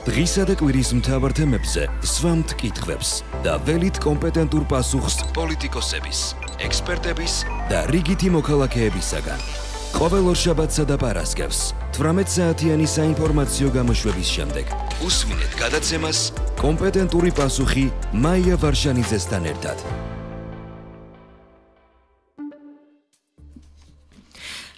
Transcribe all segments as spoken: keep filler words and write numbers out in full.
დღისა და კვირის მთავარ თემებზე სვამთ კითხვებს და ველით კომპეტენტურ პასუხს პოლიტიკოსების, ექსპერტების და რიგითი მოქალაქეებისაგან. ყოველ ორშაბათსა და პარასკევს თვრამეტ საათიანი საინფორმაციო გამოშვების შემდეგ უსმინეთ გადაცემას კომპეტენტური პასუხი მაია ვარშანიძესთან ერთად.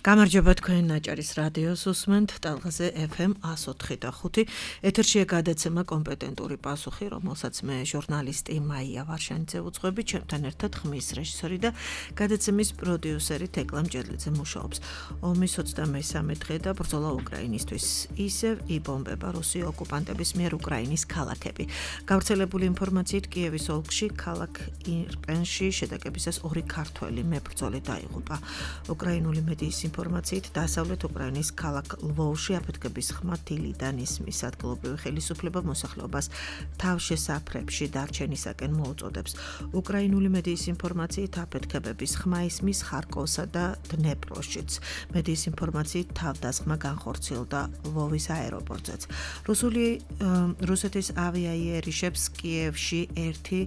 გამარჯობა თქვენ ნაჭარის რადიოს უსმენთ ტალღაზე ეფ ემ εκατო ოთხი და ხუთი ეთერშია გადაცემა კომპეტენტური პასუხი, რომელსაც მე ჟურნალისტი მაია ვარშანიძე უძღვები, ჩემთან ერთად ხმის რეჟისორი და გადაცემის პროდიუსერი თეკლა მჭედლიძე მუშაობს. ომის ოცდამესამე დღე და ბრძოლა უკრაინისთვის ისევ იბომბება რუსი ოკუპანტების მიერ უკრაინის ქალაქები. გავრცელებული ინფორმაციით კიევის ოლქში ქალაქ ირპენში შეტაკებისას ორი ქართველი მებრძოლი დაიღუპა. უკრაინული მედიის ინფორმაციით დასავლეთ უკრაინის ქალაქ ლვოვში აფეთქების ხმა დილიდან ისმის ადგილობრივი ხელისუფლება მოსახლეობას თავშესაფრებში დარჩენისაკენ მოუწოდებს. უკრაინული მედიის ინფორმაციით აფეთქებების ხმა ისმის ხარკოვსა და დნეპროშიც. მედიის ინფორმაციით თავდასხმა განხორციელდა ლვოვის აეროპორტზეც. რუსული რუსეთის ავიაიერიშებს კიევში ერთი,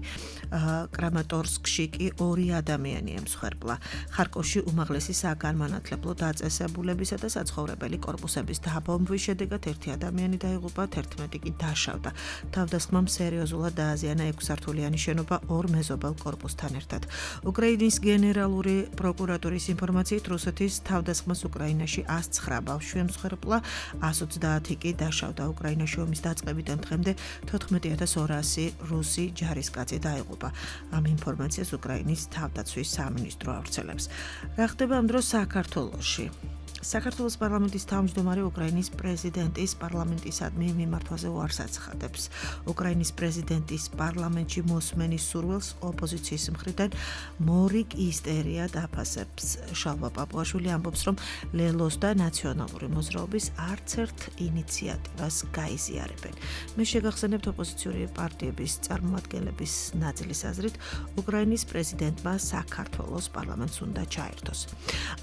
კრამატორსკში კი ორი ადამიანი ემსხვერპლა. ხარკოვში უმაღლესი საგანმანათლებლო დაწესებულებისა და საცხოვრებელი კორპუსების დაბომბვის შედეგად ერთი ადამიანი დაიღუპა, თერთმეტი კი დაშავდა. თავდასხმამ სერიოზულად დააზიანა ექვსსართულიანი შენობა ორ მეზობელ კორპუსთან ერთად. უკრაინის გენერალური პროკურატურის ინფორმაციით რუსეთის თავდასხმას უკრაინაში ას ცხრა ბავშვი ემსხვერპლა, ას ოცდაათი კი დაშავდა. უკრაინაში ომის დაწყებიდან დღემდე თოთხმეტი ათას ორასი რუსი ჯარისკაცი დაიღუპა. ამ ინფორმაციას უკრაინის თავდაცვის სამინისტრო ავრცელებს. რა ხდება ამ დროს საქართველოში? საქართველოს პარლამენტის თავმჯდომარე უკრაინის პრეზიდენტის პარლამენტისადმი მიმართვაზე უარს აცხადებს. უკრაინის პრეზიდენტის პარლამენტში მოსმენის სურვილს ოპოზიციის მხრიდან მორიგ ისტერია დაფასებს. შალვა პაპუაშვილი ამბობს, რომ ლელოს და ნაციონალური მოძრაობის არც ერთ ინიციატივას გაიზიარებენ. მე შეგახსენებთ ოპოზიციური პარტიების წარმომადგენლების ნაწილის აზრით, უკრაინის პრეზიდენტმა საქართველოს პარლამენტს უნდა ჩაერთოს.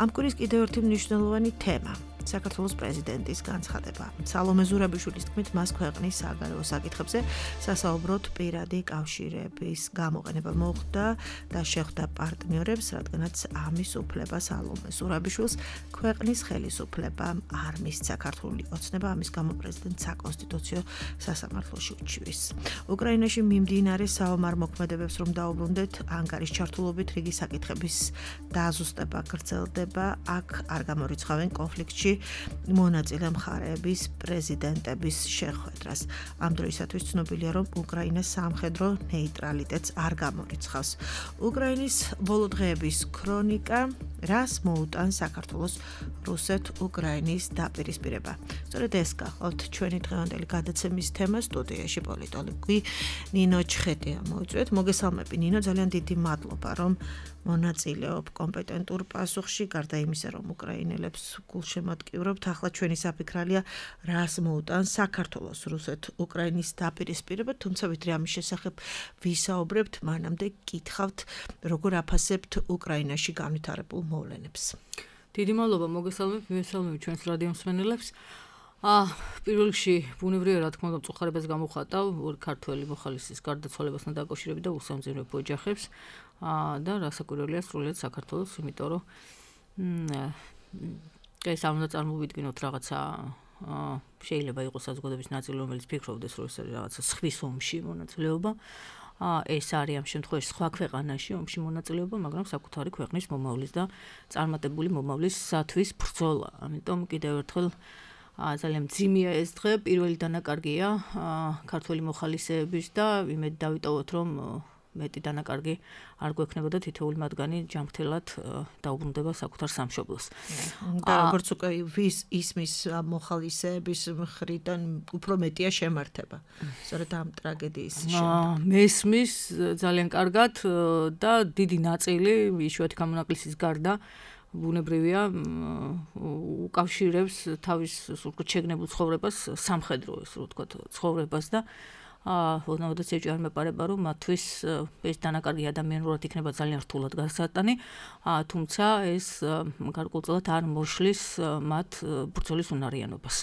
ამ კვირის კიდევ ერთი მნიშვნელოვანი თემა საქართველოს პრეზიდენტის განცხადება. სალომე ზურაბიშვილის თქმით, მას ქვეყნის საგარეო საკითხებზე სასაუბროდ პირადი კავშირების გამოყენება მოხდა და შეხვდა პარტნიორებს, რადგანაც ამის უფლება სალომე ზურაბიშვილს ქვეყნის ხელისუფლებამ არ მისცა. ქართული ოცნება ამის გამო პრეზიდენტს საკონსტიტუციო სასამართლოში უჩივის. უკრაინაში მიმდინარე საომარ მოქმედებებს რომ დაუბრუნდეთ, ანკარის ჩართულობით რიგი საკითხების დაზუსტება გრძელდება, აქ არ გამორიცხავენ კონფლიქტში მონაწილე მხარეების პრეზიდენტების შეხვედრას. ამ დროისათვის ცნობილია, რომ უკრაინა სამხედრო ნეიტრალიტეტს არ გამორიცხავს. უკრაინის ბოლო დღეების ქრონიკა რას მოუტანს საქართველოს რუსეთ-უკრაინის დაპირისპირება. სწორედ ეს გახლავთ ჩვენი დღევანდელი გადაცემის თემა. სტუდიაში პოლიტოლოგი ნინო ჩხეტია მოიწვიეთ. მოგესალმები ნინო, ძალიან დიდი მადლობა, რომ მონაწილეობ კომპეტენტურ პასუხში, გარდა იმისა, რომ უკრაინელებს გულშემატკივრობთ. ახლა ჩვენი საფიქრალია, რას მოუტანს საქართველოს რუსეთ-უკრაინის დაპირისპირება, თუმცა ვიდრე ამის შესახებ ვისაუბრებთ, მანამდე გითხავთ, როგორ აფასებთ უკრაინაში განვითარებულ მოვლენებს. დიდი მადლობა, მოგესალმებით, მივესალმებით ჩვენს რადიო მსმენელებს. აა პირველ რიგში ბუნებრივია, რა თქმა უნდა, მწუხარებას გამოვხატავ ორი ქართველი მოხალისის გარდაცვალებასთან დაკავშირებით და უსამძიმებლო ოჯახებს. აა და რასაკვირველია სრულიად საქართველოს, იმიტომ რომ ეს არ უნდა წარმოვიდგინოთ რაღაცა შეიძლება იყოს საზოგადოების ნაწილი, რომელიც ფიქრობდეს, რომ ეს არის რაღაცა სხვის ომში მონაწილეობა. ეს არის ამ შემთხვევაში სხვა ქვეყანაში ომში მონაწილეობა, მაგრამ საკუთარი ქვეყნის მომავლის და წარმატებული მომავლისათვის ბრძოლა. ამიტომ კიდევ ერთხელ ძალიან მძიმეა ეს დღე, პირველი დანაკარგია ქართველი მოხალისეების და იმედი დავიტოვოთ, რომ მეტი დანაკარგი არ გვექნებოდა, თითოეული მათგანი ჯანმრთელად დაუბრუნდება საკუთარ სამშობლოს. და როგორც უკვე ვის ისმის მოხალისეების მხრიდან უფრო მეტია შემართება. სწორედ ამ ტრაგედიის შემდეგ. მესმის ძალიან კარგად და დიდი ნაწილი იშვიათი გამონაკლისის გარდა ბუნებრივია უკავშირებს თავის სულკოთ შეგნებულ ცხოვრებას სამხედრო, ესე რომ ვთქვათ, ცხოვრებას და ოდნავადაც ეჭვი არ მეპარება, რომ მათთვის ეს დანაკარგი ადამიანურად იქნება ძალიან რთულად გასატანი, თუმცა ეს გარკვეულწილად არ მოშლის მათ ბრძოლის უნარიანობას.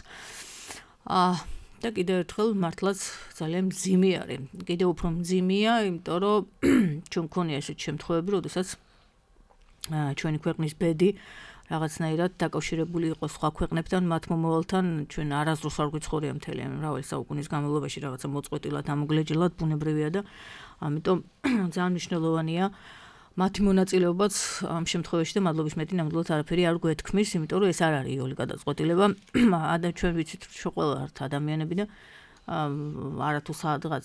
და კიდევ ერთხელ მართლაც ძალიან მძიმე არის. კიდევ უფრო მძიმეა, იმიტომ რომ ჩვენ გქონია ესეთ შემთხვევები, როდესაც ჩვენი ქვეყნის ბედი რაღაცნაირად დაკავშირებული იყო სხვა ქვეყნებთან, მათ მომავალთან, ჩვენ არასდროს არ გვიცხოვრია მთელი მრავალი საუკუნის განმავლობაში რაღაცა მოწყვეტილად, ამოგლეჯილად, ბუნებრივია და ამიტომ ძალიან მნიშვნელოვანია მათი მონაწილეობაც ამ შემთხვევაში და მადლობის მეტი ნამდვილად არაფერი არ გვეთქმის, იმიტომ რომ ეს არ არის იოლი გადაწყვეტილება. ადა ჩვენ ვიცით რომ ყველა ართ ადამიანები და არათუ სადღაც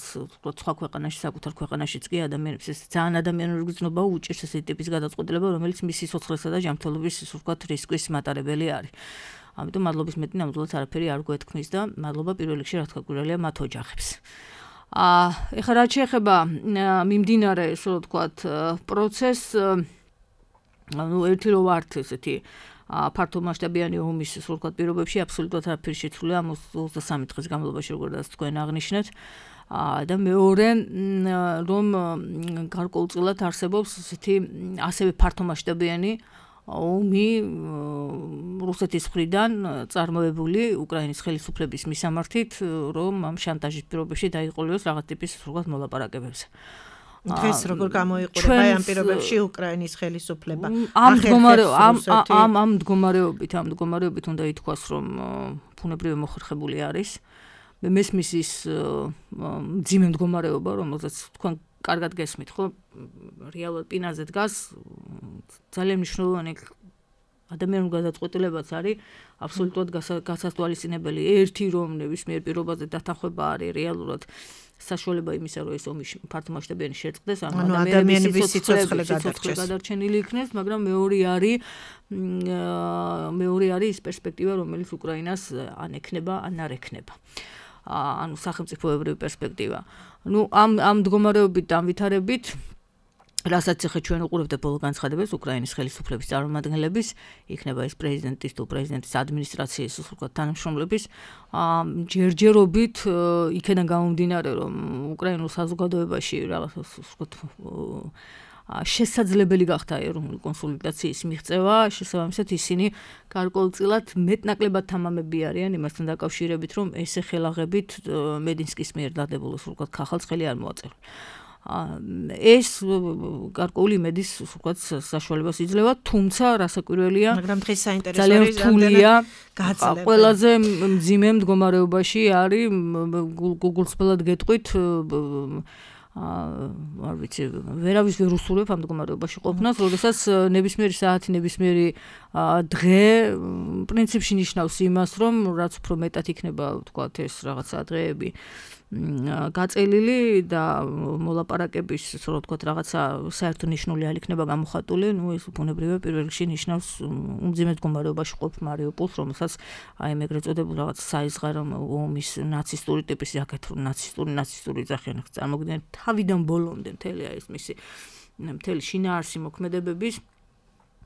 სხვა ქვეყანაში, საკუთარ ქვეყანაშიც კი ადამიანებს ეს ძალიან ადამიანური გრძნობა უჭირს ესეთი ტიპის გადაწყვეტილება, რომელიც მისი სიცოცხლესა და ჯანმრთელობის ისე ვთქვათ რისკის მატარებელი არის. ამიტომ მადლობის მეტი ნამდვილად არაფერი არ გვეთქმის და მადლობა პირველ რიგში რა თქმა გვირელია მათ ოჯახებს. აა ეხლა რაც შეეხება მიმდინარე ისე ვთქვათ პროცესს, ну ერთი რო ვართ ესეთი ფართომასშტაბიანი ომის ისე ვთქვათ პირობებში აბსოლუტურად არაფერი შეცვლილი ამ ოცდასამი დღის განმავლობაში როგორც თქვენ აღნიშნეთ და მეორე რომ გარკვეულწილად არსებობს ესეთი ასევე ფართომასშტაბიანი ომი რუსეთის მხრიდან წარმოებული უკრაინის ხელისუფლების მისამართით, რომ ამ შანტაჟის პირობებში დაიყოლოს რაღაც ტიპის ვთქვათ მოლაპარაკებებზე. დღეს როგორ გამოიყურება ამ პირობებში უკრაინის ხელისუფლება? ამ მდგომარეობით ამ ამ მდგომარეობით ამ მდგომარეობით უნდა ითქვას, რომ ბუნებრივი მოხერხებული არის. მე მესმის ის მძიმე მდგომარეობა, რომელზეც თქვენ კარგად გესმით, ხო? რეალურად პინაზე დგას ძალიან მნიშვნელოვანი ადამიანური გადაწყვეტილებაც არის აბსოლუტურად გასათვალისწინებელი. ერთი რომ ნებისმიერ პირობაზე დათანხმება არის რეალურად საშუალება იმისა, რომ ეს ომი ფართომასშტაბიანი შეწყდეს, ანუ ადამიანების სიცოცხლე გადარჩენილი იქნეს, მაგრამ მეორე არის მეორე არის ის პერსპექტივა, რომელიც უკრაინას ან ექნება, ან არ ექნება. ანუ სახელმწიფოებრივი პერსპექტივა. ნუ ამ ამ მდგომარეობით დამვითარებით რასაც ახლა ჩვენ უყურებთ ბოლო განცხადებას უკრაინის ხელისუფლების წარმომადგენლების, იქნება ეს პრეზიდენტის თუ პრეზიდენტის ადმინისტრაციის უბრალოდ თანამშრომლების ჯერჯერობით იქიდან გამომდინარე, რომ უკრაინულ საზოგადოებაში რაღაც უბრალოდ შესაძლებელი გახდა ეროვნული კონსოლიდაციის მიღწევა, შესაბამისად ისინი გარკვეულწილად მეტნაკლებად თამამები არიან იმასთან დაკავშირებით, რომ ესე ხელაღებით მედინსკის მიერ დადებულოს უბრალოდ ხალხს ხელი არ მოაწერა. ეს გარკვეული იმედის ვთქვათ საშუალებას იძლევა, თუმცა რასაკვირველია, მაგრამ დღეს საინტერესო არის რამდენად გაძლევენ. ყველაზე მძიმე მდგომარეობაში არის გუგლსფელად გეტყვით არ ვიცი, ვერავის ვერ უსურვებ ამ მდგომარეობაში ყოფნას, როდესაც ნებისმიერი საათი, ნებისმიერი დღე პრინციპში ნიშნავს იმას, რომ რაც უფრო მეტად იქნება ვთქვათ ეს რაღაცა დღეები გაწელილი და მოლაპარაკების, ასე რომ ვთქვათ, რაღაცა საერთო ნიშნული არ იქნება გამოხატული, ну ეს ბუნებრივია პირველ რიგში ნიშნავს უმძიმე მდგომარეობაში ყოფ მარიუპოლს, რომელსაც აი მე ეგრეთ წოდებულ რაღაც საიზღარო ომის ნაცისტური ტიპის აკეთრო ნაცისტური ნაცისტური ძახიან წარმოგიდგენთ თავიდან ბოლომდე მთელი ეს მისი მთელი შინაარსი მოქმედებების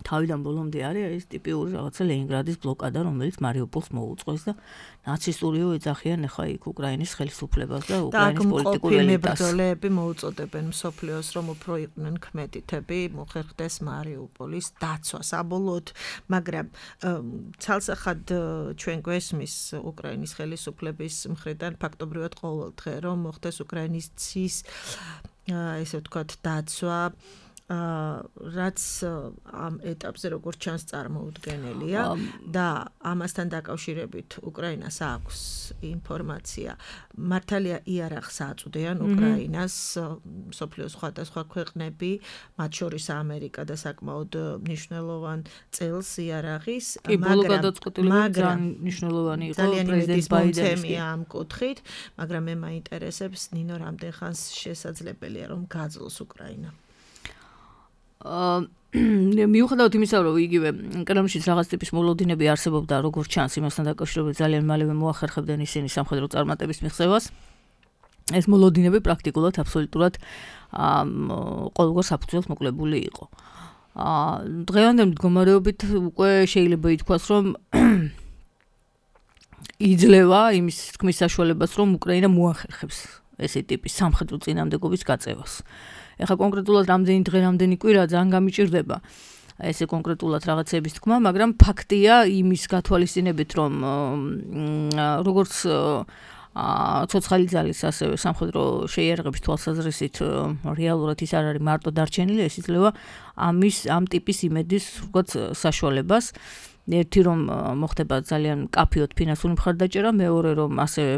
თავიდან ბოლომდე არის ეს ტიპიური რაღაცა ლენინგრადის ბლოკადა, რომელიც მარიუპოლს მოუწყოს და ნაცისტურიო ეძახიან ახლა იქ უკრაინის ხელისუფლებას და უკრაინის პოლიტიკურ ელიტას. მებრძოლეები მოუწოდებენ მსოფლიოს, რომ უფრო იყვნენ ქმედითები, მოხერხდეს მარიუპოლის დაცვა საბოლოოდ, მაგრამ ცალსახად ჩვენ გვესმის უკრაინის ხელისუფლების მხრიდან ფაქტობრივად ყოველ დღე, რომ მოხდეს უკრაინის ცის ესე ვთქვათ დაცვა რაც ამ ეტაპზე როგორც ჩანს წარმოუდგენელია და ამასთან დაკავშირებით უკრაინას აქვს ინფორმაცია. მართალია იარაღს აწვდიან უკრაინას მსოფლიოს სხვადასხვა ქვეყნები, მათ შორის ამერიკა და საკმაოდ მნიშვნელოვან წელს იარაღის, მაგრამ ძალიან მნიშვნელოვანი იყო პრეზიდენტ ბაიდენის ამ კუთხით, მაგრამ მე მაინტერესებს ნინო რამდენ ხანს შესაძლებელია რომ გაძლოს უკრაინა. მიუხედავად იმისა, რომ იგივე კრემლშიც რაღაც ტიპის მოლოდინები არსებობდა, როგორც ჩანს, იმასთან დაკავშირებით ძალიან მალევე მოახერხებდნენ ისინი სამხედრო წარმატების მიღწევას. ეს მოლოდინები პრაქტიკულად აბსოლუტურად ყოველგვარ საფუძველს მოკლებული იყო. დღევანდელ მდგომარეობით უკვე შეიძლება ითქვას, რომ იძლევა იმის თქმის საშუალებას, რომ უკრაინა მოახერხებს ესე ტიპის სამხედრო წინამდებობის გაწევას. ეხლა კონკრეტულად რამდენი დღე, რამდენი კვირა ძალიან გამიჭირდება ესე კონკრეტულად რაღაცების თქმა, მაგრამ ფაქტია იმის გათვალისწინებით, რომ როგორც ცოცხალი ძალის ასევე სამხედრო შეიარაღების თვალსაზრისით რეალურად ის არ არის მარტო დარჩენილი, ეს იძლევა ამის ამ ტიპის იმედის ვთქვათ საშუალებას. ერთი რომ მოხდება ძალიან კაფეოდ ფინანსური მხარდაჭერა, მეორე რომ ასევე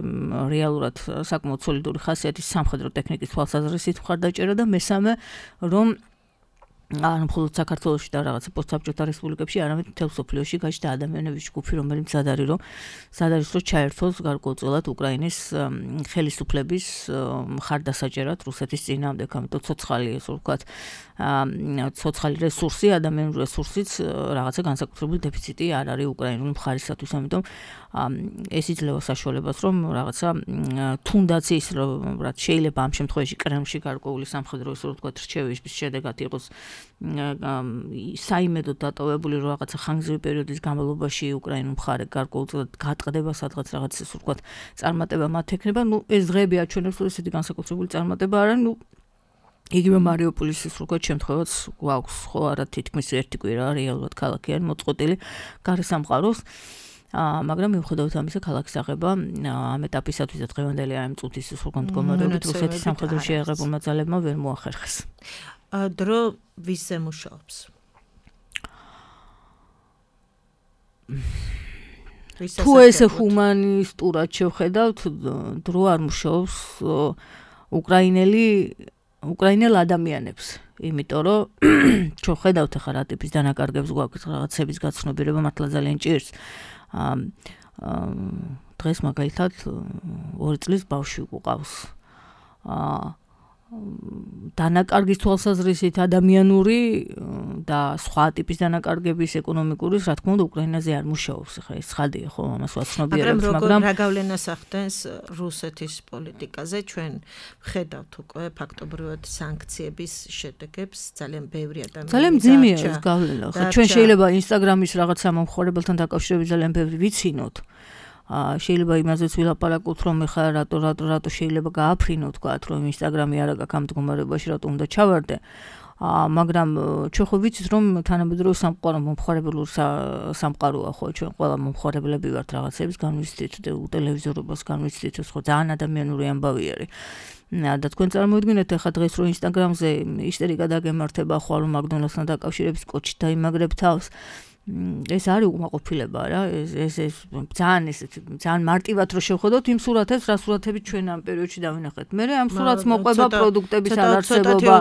რეალურად საკმაოდ სოლიდური ხასიათის სამხედრო ტექნიკის თვალსაზრისით მხარდაჭერა და მესამე რომ არ მხოლოდ საქართველოში და რაღაცა პოსტსაბჭოთა რესპუბლიკებში, არამედ მთელ მსოფლიოში გაჩნდა ადამიანების ჯგუფი, რომელიც მზად არის რომ მზად არის რომ ჩაერთოს გარკვეულწილად უკრაინის ხელისუფლების მხარდასაჭერად რუსეთის წინააღმდეგ, ამიტომ ცოცხალი ესე ვთქვათ ცოცხალი რესურსი, ადამიანური რესურსიც რაღაცა განსაკუთრებული დეფიციტი არ არის უკრაინული მხარისათვის, ამიტომ ეს იძლევა საშუალებას რომ რაღაცა თუნდაც ის რომ რაც შეიძლება ამ შემთხვევაში კრემლში გარკვეული სამხედრო ესე ვთქვათ რჩევის შედეგად იყოს საიმედოდ დატოვებული რომ რაღაცა ხანგრძლივი პერიოდის განმავლობაში უკრაინულ მხარე გარკვეულწილად გატყდება სადღაც რაღაც ესე ვთქვათ წარმატება მათ ექნება, ნუ ეს დღეები აჩვენებს რომ ესეთი განსაკუთრებული წარმატება არა, ნუ იგივე მარიუპოლის ის ვთქვათ შემთხვევაც გვაქვს ხო არა თითქმის ერთი კვირა რეალურად ქალაქი არის მოწყობილი გარესამყაროს. მაგრამ მიუხედავად ამისა ქალაქის აღება ამ ეტაპისათვის და დღევანდელი ამ წუთის სრულყოფილ მდგომარეობით რუსეთის სამხედრო შეიარაღებულმა ძალებმა ვერ მოახერხეს. დრო ვისზე მუშაობს? თუ ესე ჰუმანისტურად შევხედავთ, დრო არ მუშაობს უკრაინელი უკრაინელ ადამიანებს, იმიტომ რომ შევხედავთ ახლა რა ტიპის დანაკარგებს გვაქვს რაღაცების გაცნობიერება მართლა ძალიან ჭირს. დღეს მაგალითად ორი წლის ბავშვი გვყავს. დანაკარგის თვალსაზრისით ადამიანური და სხვა ტიპის დანაკარგების ეკონომიკური, რა თქმა უნდა, უკრაინაზე არ მუშაობს. ახლა ეს ცხადია ხო, ამას ვაცნობიერებთ, მაგრამ რა გავლენას ახდენს რუსეთის პოლიტიკაზე? ჩვენ ვხედავთ უკვე ფაქტობრივად სანქციების შედეგებს, ძალიან ბევრი ადამიანი ძალიან მძიმეა ეს გავლენა. ხო, ჩვენ შეიძლება ინსტაგრამის რაღაცა მომხმარებელთან დაკავშირებით ძალიან ბევრი ვიცინოთ. შეიძლება იმაზეც ვილაპარაკოთ რომ ეხლა რატო რატო რატო შეიძლება გააფრინო თქვათ რომ ინსტაგრამი არა გაქვს ამ მდგომარეობაში რატო უნდა ჩავარდე მაგრამ ჩვენ ხო ვიცით რომ თანამედროვე სამყარო მომხმარებლურ სამყაროა ხო ჩვენ ყველა მომხმარებლები ვართ რაღაცების განვიცდით ტელევიზორობას განვიცდით ეს ხო ძალიან ადამიანური ამბავი არის და თქვენ წარმოიდგინეთ ეხლა დღეს რომ ინსტაგრამზე ისტერიკა დაგემართება ხო რომ მაკდონალდსთან დაკავშირებით კოჩი დაიმაგრებ თავს ეს არის უკმაყოფილება რა ეს ეს ეს ძალიან ესეთი ძალიან მარტივად რო შევხედოთ იმ სურათებს რა სურათები ჩვენ ამ პერიოდში დავინახეთ მე ამ სურათს მოყვება პროდუქტების არარსებობა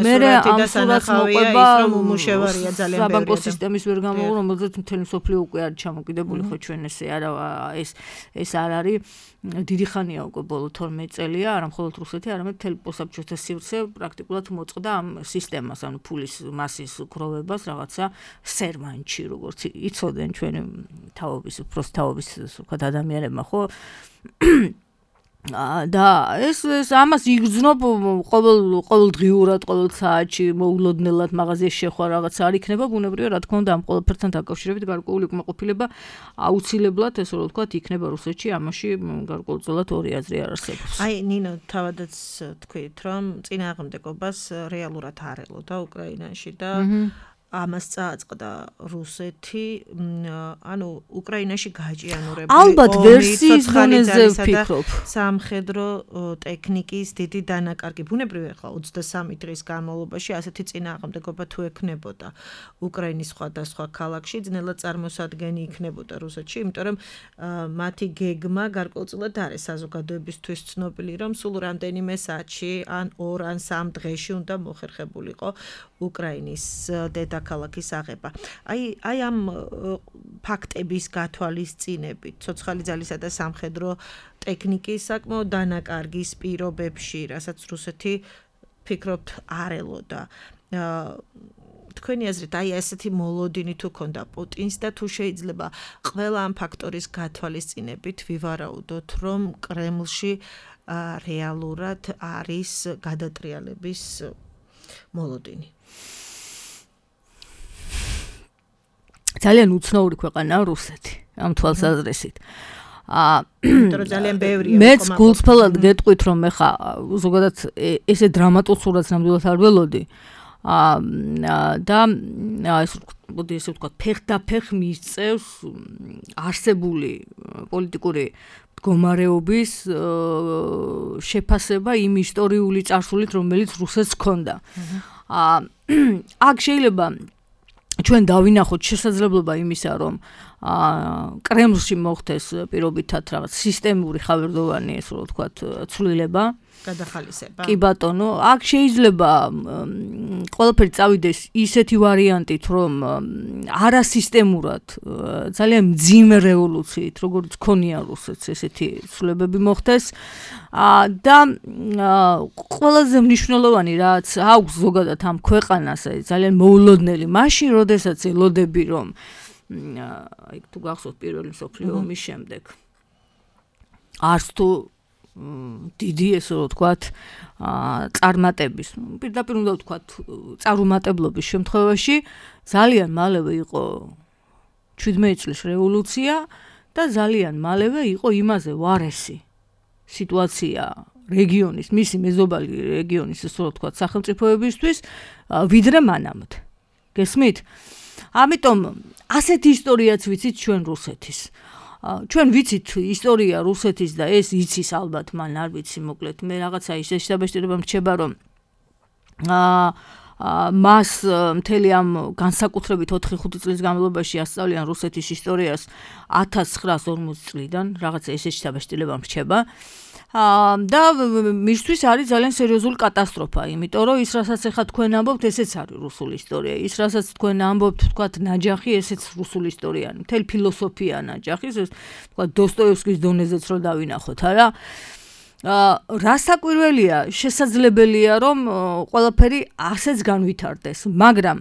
მე ამ სურათს მოყვება ის რომ უმუშევარია ძალიან ბევრი საბანკო სისტემის ვერ გამოვა რომელზეც მთელი სოფლიო უკვე არის ჩამოკიდებული ხო ჩვენ ესე არა ეს ეს არ არის დიდი ხანია უკვე ბოლო თორმეტ წელია არა მხოლოდ რუსეთი არამედ მთელი პოსტსაბჭოთა სივრცე პრაქტიკულად მოწყდა ამ სისტემას ანუ ფულის მასის გროვებას რაღაცა სერვანტში როგორც იცოდნენ ჩვენ თავობის უბრალოდ თავობის ვთქვათ ადამიანებმა ხო და ეს ეს ამას იგრძნობ ყოველ ყოველდღიურად ყოველ საათში მოულოდნელად მაღაზიაში შეხვა რაღაც არ იქნება ბუნებრივია რა თქმა უნდა ამ ყველაფერთან დაკავშირებით გარკვეული უკმაყოფილება აუცილებლად ესე რომ ვთქვათ იქნება რუსეთში ამაში გარკვეულწილად ორი აზრი არ არსებობს აი ნინო თავადაც თქვით რომ წინააღმდეგობას რეალურად არ ელოდა უკრაინაში და ამას წააწყდა რუსეთი, ანუ უკრაინაში გააჭიანურებული ალბათ ვერსიის დონეზე ვფიქრობ. სამხედრო ტექნიკის დიდი დანაკარგი. ბუნებრივია ახლა ოცდასამი დღის განმავლობაში ასეთი წინააღმდეგობა თუ ექნებოდა უკრაინის სხვადასხვა ქალაქში, ძნელად წარმოსადგენი იქნებოდა რუსეთში, იმიტომ რომ მათი გეგმა გარკვეულწილად არის საზოგადოებისთვის ცნობილი, რომ სულ რამდენიმე საათში ან ორ ან სამ დღეში უნდა მოხერხებულიყო უკრაინის დედა ქალაქის აღება. აი აი ამ ფაქტების გათვალისწინებით, ცოცხალი ძალისა და სამხედრო ტექნიკის საკმაოდ დანაკარგის პირობებში, რასაც რუსეთი ფიქრობთ არ ელოდა. თქვენი აზრით, აი ესეთი მოლოდინი თუ ქონდა პუტინს და თუ შეიძლება ყველა ამ ფაქტორის გათვალისწინებით ვივარაუდოთ, რომ კრემლში რეალურად არის გადატრიალების მოლოდინი. ძალიან უცნაური ქვეყანაა რუსეთი ამ თვალსაზრისით. აა იმიტომ ძალიან ბევრია. მეც გულწრფელად გეტყვით რომ ეხა ზოგადად ესე დრამატულ სურათს ნამდვილად არ ველოდი. აა და ეს მოდი ესე ვთქვათ ფეხდაფეხ მისწევს არსებული პოლიტიკური მდგომარეობის შეფასება იმ ისტორიული წარსულით, რომელიც რუსეთს ჰქონდა. აქ შეიძლება ჩვენ დავინახოთ შესაძლებლობა იმისა, რომ კრემლში მოხდეს პირობითად რაღაც სისტემური ხავერდოვანი, ესე რომ ვთქვათ, ცვლილება, გადახალისება. კი ბატონო, აქ შეიძლება ყველაფერი წავიდეს ისეთი ვარიანტით, რომ არასისტემურად, ძალიან მძიმე რევოლუციით, როგორც ქონია რუსეთს, ესეთი ცვლილებები მოხდეს და ყველაზე მნიშვნელოვანი რაც აქვს ზოგადად ამ ქვეყანას, ძალიან მოულოდნელი, მაშინ, როდესაც ელოდები, რომ აი თუ გახსოვთ პირველი მსოფლიო ომის შემდეგ არც თუ დიდი ესე რომ ვთქვათ წარმატების პირდაპირ უნდა ვთქვათ წარუმატებლობის შემთხვევაში ძალიან მალევე იყო შვიდმეტი წლის რევოლუცია და ძალიან მალევე იყო იმაზე ვარესი სიტუაცია რეგიონის მისი მეზობელი რეგიონის ესე რომ ვთქვათ სახელმწიფოებისთვის ვიდრე მანამდე გესმით ამიტომ ასეთი ისტორიაც ვიცით ჩვენ რუსეთის ჩვენ ვიცით ისტორია რუსეთის და ეს იცის ალბათ მან არ ვიცი მოკლედ მე რაღაცა ისე შედაბეჭდილება მრჩება რომ მას მთელი ამ განსაკუთრებით ოთხი ხუთი წლის განმავლობაში ასწავლიან რუსეთის ისტორიას ათას ცხრაას ორმოცი წლიდან რაღაცა ისე შედაბეჭდილება მრჩება და მისთვის არის ძალიან სერიოზული კატასტროფა, იმიტომ რომ ის რასაც ახლა თქვენ ამბობთ, ესეც არის რუსული ისტორია. ის რასაც თქვენ ამბობთ, თქვათ ნაჯახი, ესეც რუსული ისტორია. მთელი ფილოსოფია ნაჯახის, ეს თქვათ დოსტოევსკის დონეზეც რო დავინახოთ, არა? რა საკვირველია, შესაძლებელია რომ ყველაფერი ასეც განვითარდეს, მაგრამ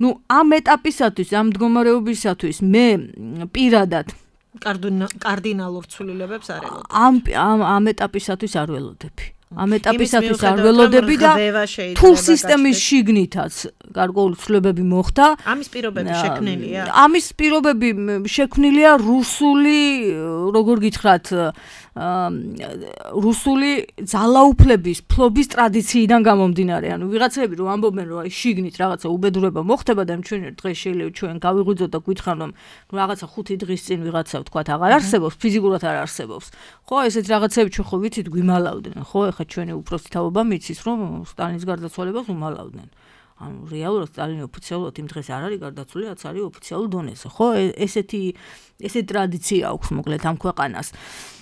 ნუ ამ ეტაპისათვის, ამ მდგომარეობისათვის მე პირადად კარდინალურ ცვლილებებს არ ელოდი. ამ ამ ამ ეტაპისათვის არ ველოდები. ამ ეტაპისათვის არ ველოდები და თუ სისტემის შიგნითაც გარკვეული ცვლილებები მოხდა, ამის პირობები შექმნილია. ამის პირობები შექმნილია რუსული, როგორ გითხრათ, რუსული ძალაუფლების ფლობის ტრადიციიდან გამომდინარე. ანუ ვიღაცები რომ ამბობენ რომ აი შიგნით რაღაცა უბედურება მოხდება და ჩვენ დღეს შეიძლება ჩვენ გავიღვიძოთ და გვითხრან რომ რაღაცა ხუთი დღის წინ ვიღაცა ვთქვათ აღარ არსებობს, ფიზიკურად არ არსებობს. ხო, ესეთ რაღაცები ჩვენ ხო ვიცით გვიმალავდნენ. ხო, ეხლა ჩვენი უფროსი თაობა მიცის რომ სტალინის გარდაცვალებას უმალავდნენ. ანუ რეალურად სტალინი ოფიციალურად იმ დღეს არ არის გარდაცვლილი, რაც არის ოფიციალურ დონეზე. ხო, ესეთი ესეთი ტრადიცია აქვს მოკლედ ამ ქვეყანას.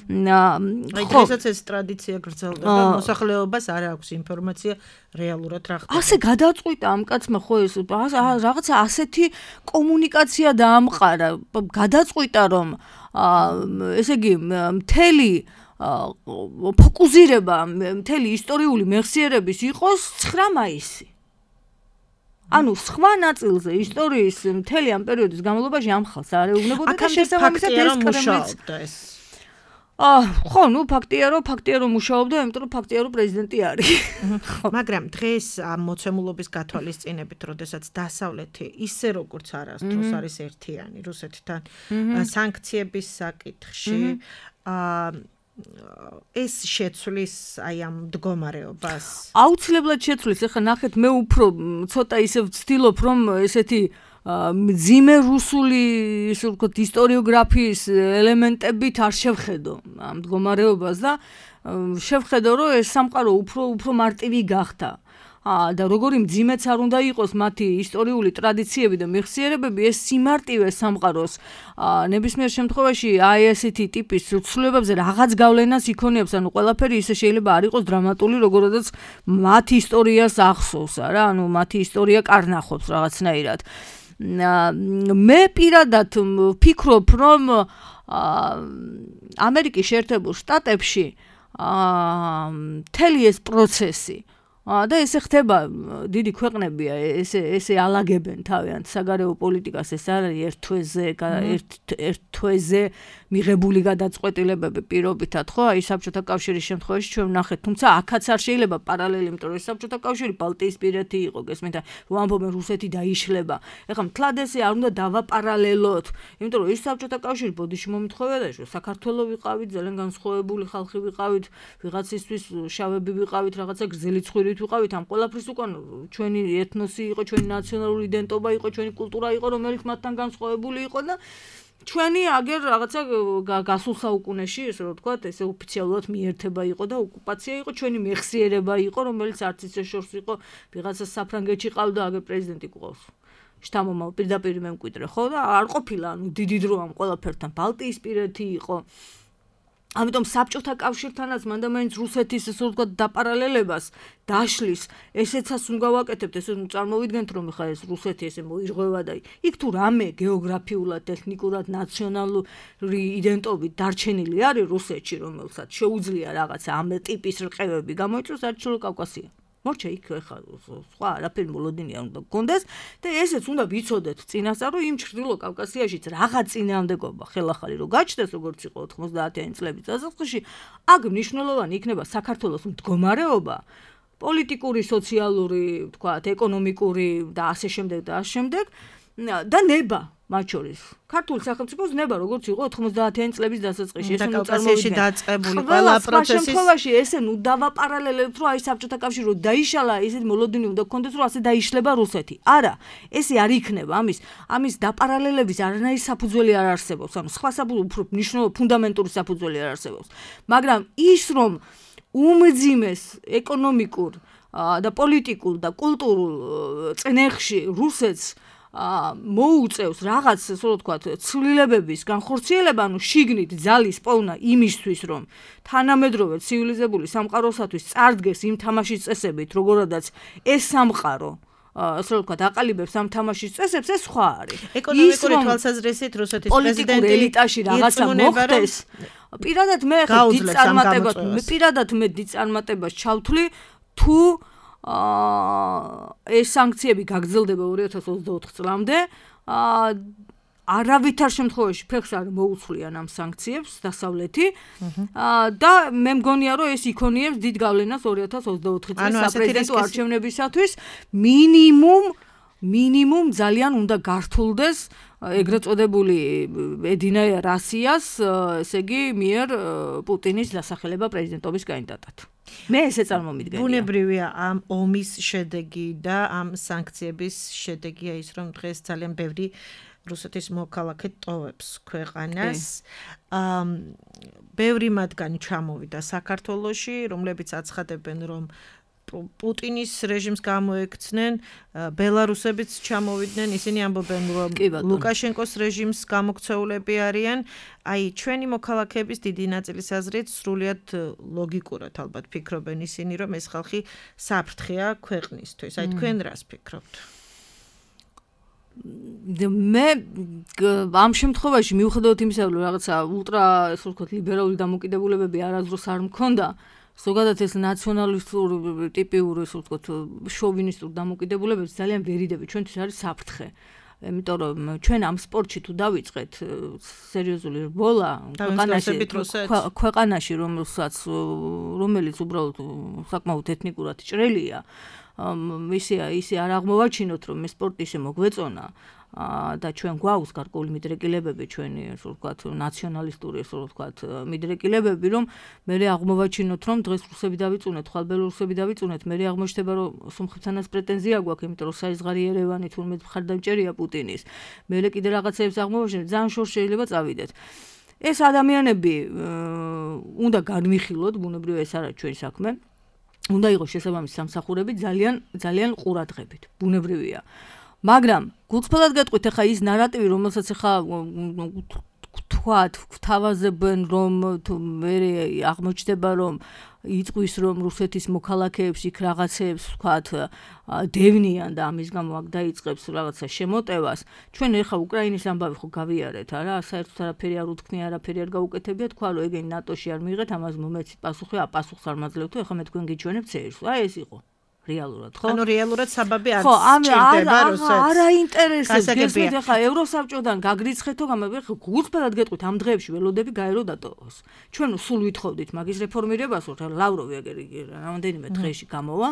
აი დღესაც ეს ტრადიცია გრძელდება, მოსახლეობას არ აქვს ინფორმაცია რეალურად რა ხდება. ასე გადაწყვიტა ამ კაცმა ხო ეს რაღაცა ასეთი კომუნიკაცია დაამყარა, გადაწყვიტა რომ ესე იგი მთელი ფოკუსირება მთელი ისტორიული მეხსიერების იყოს ცხრა მაისი. ანუ სხვა ნაწილზე ისტორიის მთელი ამ პერიოდის განმავლობაში ამ ხალხს არ ეუბნებოდა და შესაბამისად ეს კრემლიც აა ხო, ნუ ფაქტია რომ ფაქტია რომ მუშაობდა, იმიტომ რომ ფაქტია რომ პრეზიდენტი არის. მაგრამ დღეს ამ მოცემულობის გათვალისწინებით, როდესაც დასავლეთი ისე როგორც არასდროს არის ერთიანი რუსეთთან სანქციების საკითხში, აა ეს შეცვლის აი ამ მდგომარეობას. აუცილებლად შეცვლის. ეხლა ნახეთ, მე უფრო ცოტა ისე ვცდილობ რომ ესეთი მძიმე რუსული ისე ვთქვათ ისტორიოგრაფიის ელემენტებით არ შევხედო ამ მდგომარეობას და შევხედო რომ ეს სამყარო უფრო უფრო მარტივი გახდა. და როგორი მძიმეც არ უნდა იყოს მათი ისტორიული ტრადიციები და მეხსიერებები, ეს სიმარტივე სამყაროს ნებისმიერ შემთხვევაში აი ესეთი ტიპის ცვლილებებზე რაღაც გავლენას იქონიებს, ანუ ყველაფერი ისე შეიძლება არ იყოს დრამატული, როგორიც მათ ისტორიას ახსოვს, არა? ანუ მათი ისტორია კარნახობს რაღაცნაირად. მე პირადად ვფიქრობ, რომ ამერიკის შეერთებულ შტატებში მთელი ეს პროცესი და ესე ხდება, დიდი ქვეყნებია, ესე ესე ალაგებენ თავიანთ საგარეო პოლიტიკას, ეს არის ერთ თვეზე, ერთ თვეზე მიღებული გადაწყვეტილებები პირობითად, ხო? აი საბჭოთა კავშირის შემთხვევაში ჩვენ ვნახეთ, თუმცა აქაც არ შეიძლება პარალელი, იმიტომ რომ საბჭოთა კავშირი ბალტიისპირეთი იყო, გესმით, რომ ამბობენ რუსეთი დაიშლება. ეხლა მთლად ესე არ უნდა დავაპარალელოთ, იმიტომ რომ ის საბჭოთა კავშირი ბოდიში მომთხოვია და საქართველოს ვიყავით, ძალიან განსხვავებული ხალხი ვიყავით, ვიღაცისთვის შავები ვიყავით, რაღაცა გრძელი ცხვირი ვიყავით, ამ ყველაფრის უკან ჩვენი ეთნოსი იყო, ჩვენი ნაციონალური იდენტობა იყო, ჩვენი კულტურა იყო, რომელიც მათთან განსხვავებული იყო და ჩვენი აგერ რაღაცა გასულ საუკუნეში, ესე რომ ვთქვათ, ესე ოფიციალურად მიერთება იყო და ოკუპაცია იყო, ჩვენი მეხსიერება იყო, რომელიც არც ისე შორს იყო, ვიღაცა საფრანგეთში ყავდა, აგერ პრეზიდენტი გვყავს. შთამომავალ პირდაპირ მემკვიდრე, ხო და არ ყოფილა, ანუ დიდი დრო ამ ყველაფერთან, ბალტიისპირეთი იყო. ამიტომ საბჭოთა კავშირთანაც მანდამაინც რუსეთის ესე ვთქვათ დაპარალელებას დაშლის ესეცაც უნდა ვაკეთებთ, ესე წარმოვიდგენთ რომ ხა ეს რუსეთი ესე მოირღვევა და იქ თუ რამე გეოგრაფიულად, ეთნიკურად, ნაციონალური იდენტობით დარჩენილი არის რუსეთში, რომელსაც შეუძლია რაღაცა ამ ტიპის რყევები გამოიწვიოს, არის ჩრდილო კავკასია. მორჩა იქ ხა სხვა არაფერი მოლოდინი არ უნდა გქონდეს და ესეც უნდა ვიცოდეთ წინასწარ რომ იმ ჩრდილო კავკასიაშიც რაღაც წინააღმდეგობა ხელახალი რო გაჩნდეს როგორც იყო ოთხმოცდაათიანი წლების დასაწყისში, აქ მნიშვნელოვანი იქნება საქართველოს მდგომარეობა, პოლიტიკური, სოციალური, ვთქვათ, ეკონომიკური და ასე შემდეგ და ასე შემდეგ და ნება მათ შორის. ქართული სახელმწიფოს ნება როგორც იყო ოთხმოცდაათიანი წლების დასაწყისში, ეს ნუ კავკასიაში დაწყებული ყველა პროცესის შემთხვევაში ესე ნუ დავაპარალელებთ, რომ აი საბჭოთა კავშირი რო დაიშალა, ესეთი მოლოდინი უნდა გქონდეს, რომ ასე დაიშლება რუსეთი. არა, ესე არ იქნება, ამის ამის დაპარალელების არანაირი საფუძველი არ არსებობს, ანუ სხვა საფუძველი, უფრო მნიშვნელოვანი ფუნდამენტური საფუძველი არ არსებობს. მაგრამ ის რომ უმძიმეს ეკონომიკურ და პოლიტიკურ და კულტურულ წნეხში რუსეთს მოუწევს რაღაც, ასე ვთქვათ, ცვლილებების განხორციელება, ანუ შიგნით ძალის პოვნა იმისთვის, რომ თანამედროვე ცივილიზებული სამყაროსათვის წარდგეს იმ თამაშის წესებით, როგორადაც ეს სამყარო ასე ვთქვათ, აყალიბებს ამ თამაშის წესებს, ეს სხვა არის. ეკონომიკური თვალსაზრისით რუსეთის პრეზიდენტი ელიტაში რაღაცა მოხდეს. პირადად მე ხა დიდ წარმატებას, მე პირადად მე დიდ წარმატებას ჩავთვლი, თუ აა ეს სანქციები გაგრძელდება ორი ათას ოცდაოთხ წლამდე, აა არავითარ შემთხვევაში ფეხს არ მოუცვლიან ამ სანქციებს დასავლეთი და მე მგონია რომ ეს იქონიებს დიდ გავლენას ორი ათას ოცდაოთხი წლის საპრეზიდენტო არჩევნებისათვის მინიმუმ მინიმუმ ძალიან უნდა გართულდეს ეგრეთ წოდებული ედინა რასიას, ესე იგი მიერ პუტინის დასახელება პრეზიდენტობის კანდიდატად. მე ესე წარმომიდგენია. ბუნებრივია ამ ომის შედეგი და ამ სანქციების შედეგია ის, რომ დღეს ძალიან ბევრი რუსეთის მოქალაქე ტოვებს ქვეყანას. ამ ბევრი მათგანი ჩამოვიდა საქართველოში, რომლებიც აცხადებენ, რომ პუტინის რეჟიმს გამოექცნენ, ბელარუსებიც ჩამოვიდნენ, ისინი ამბობენ, რომ ლუკაშენკოს რეჟიმს გამოქცეულები არიან. აი, ჩვენი მოქალაქეების დიდი ნაწილის აზრით სრულიად ლოგიკურად ალბათ ფიქრობენ ისინი, რომ ეს ხალხი საფრთხეა ქვეყნისთვის. აი, თქვენ რას ფიქრობთ? მე ამ შემთხვევაში მიუხედავად იმისა, რომ რაღაცა ულტრა, ასე ვთქვათ, ლიბერალური დამოკიდებულებები არასდროს არ მქონდა, ზოგადად ეს ნაციონალისტური ტიპიური, ასე ვთქვათ, შოვინისტური დამოკიდებულებები ძალიან ვერიდები ჩვენთვის არის საფრთხე. იმიტომ რომ ჩვენ ამ სპორტში თუ დავიწყეთ სერიოზული რბოლა ქვეყანაში, ქვეყანაში, რომელსაც რომელიც უბრალოდ საკმაოდ ეთნიკურად ჭრელია, ისე ისე არ აღმოვაჩინოთ, რომ ეს სპორტი ისე მოგვეწონა და ჩვენ გვაქვს გარკვეული მიდრეკილებები, ჩვენი ასე ვთქვათ, ნაციონალისტური ასე ვთქვათ, მიდრეკილებები, რომ მე აღმოვაჩინოთ, რომ დღეს რუსები დავიწუნეთ, ხვალ ბელორუსები დავიწუნეთ, მე აღმოჩნდება, რომ სომხეთთანაც პრეტენზია გვაქვს, იმიტომ რომ საიზღარი ერევანი თურმე მხარდამჭერია პუტინის. მე კიდე რაღაცებს აღმოვაჩინეთ, ძალიან შორს შეიძლება წავიდეთ. ეს ადამიანები უნდა განვიხილოთ, ბუნებრივია ეს არა ჩვენი საქმე. უნდა იყოს შესაბამისი სამსახურები ძალიან ძალიან ყურადღებით, ბუნებრივია. მაგრამ გულწრფელად გეტყვით, ახლა ის ნარატივი, რომელსაც ახლა თქვათ, გვთავაზებენ, რომ მე აღმოჩნდება, რომ იწვის, რომ რუსეთის მოქალაქეებს იქ რაღაცებს, ვთქვათ, დევნიან და ამის გამო აქ დაიწყებს რაღაცა შემოტევას. ჩვენ ახლა უკრაინის ამბავი ხო გავიარეთ, არა? საერთოდ არაფერი არ უთქნია, არაფერი არ გაუკეთებია, თქვა, რომ ეგენი ნატოში არ მიიღეთ, ამას მომეცით პასუხი, აპასუხს არ მაძლევთ, ახლა მე თქვენ გიჩვენებთ წერს. აი ეს იყო. რეალურად, ხო? ანუ რეალურად საბაბი არ სჭირდება რუსეთს. არა ინტერესებს, გესმით ახლა ევროსაბჭოდან გაგრიცხეთო, გამაბი ხო გულწრფელად გეტყვით, ამ დღეებში ველოდები გაერო დატოვოს. ჩვენ სულ ვითხოვდით მაგის რეფორმირებას, რომ ლავროვი აგერ რამდენიმე დღეში გამოვა.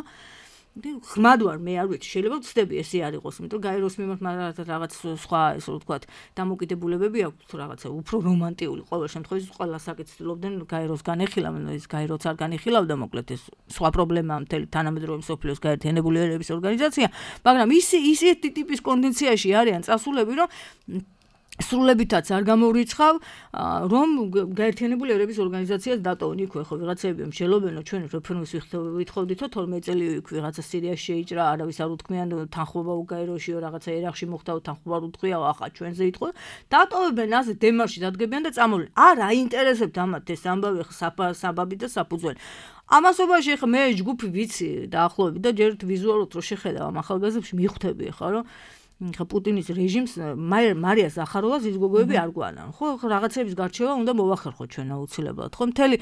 ღრმად ვარ, მე არ ვიცი, შეიძლება ვცდები ესე არ იყოს, იმიტომ რომ გაეროს მიმართ რაღაც სხვა, ესე ვთქვათ, დამოკიდებულებები აქვს, რაღაცა უფრო რომანტიული ყოველ შემთხვევაში ყველა საკითხილობდნენ გაეროს განეხილა, ის გაეროც არ განეხილავდა, მოკლედ ეს სხვა პრობლემაა მთელი თანამედროვე მსოფლიოს გაერთიანებული ერების ორგანიზაცია, მაგრამ ის ისეთი ტიპის კონდიციაში არიან წასულები, რომ სრულებითაც არ გამორიცხავ, რომ გაერთიანებული ერების ორგანიზაციას დატოვონ იქ ხო ვიღაცები მსჯელობენ, რომ ჩვენ რეფერენდუმის ვითხოვდითო თორმეტ წელი იქ ვიღაცა სირიაში შეიჭრა, არავის არ უთქმიან თანხმობა უკაიროშიო რაღაცა ერახში მოხდა თანხმობა არ უთქვია, ახლა ჩვენზე იტყვა. დატოვებენ ასე დემარში დადგებიან და წამოვლენ. არ აინტერესებთ ამათ ეს ამბავი ხა საბაბი და საფუძველი. ამასობაში ხა მე ჯგუფი ვიცი დაახლოებით და ჯერ ვიზუალურად რო შეხედავ ამ ახალგაზრდებში მიხვდები ხა რომ ხა პუტინის რეჟიმს მარია ზახაროვას ის გოგოები არ გვანან. ხო რაღაცების გარჩევა უნდა მოვახერხოთ ჩვენ აუცილებლად. ხო მთელი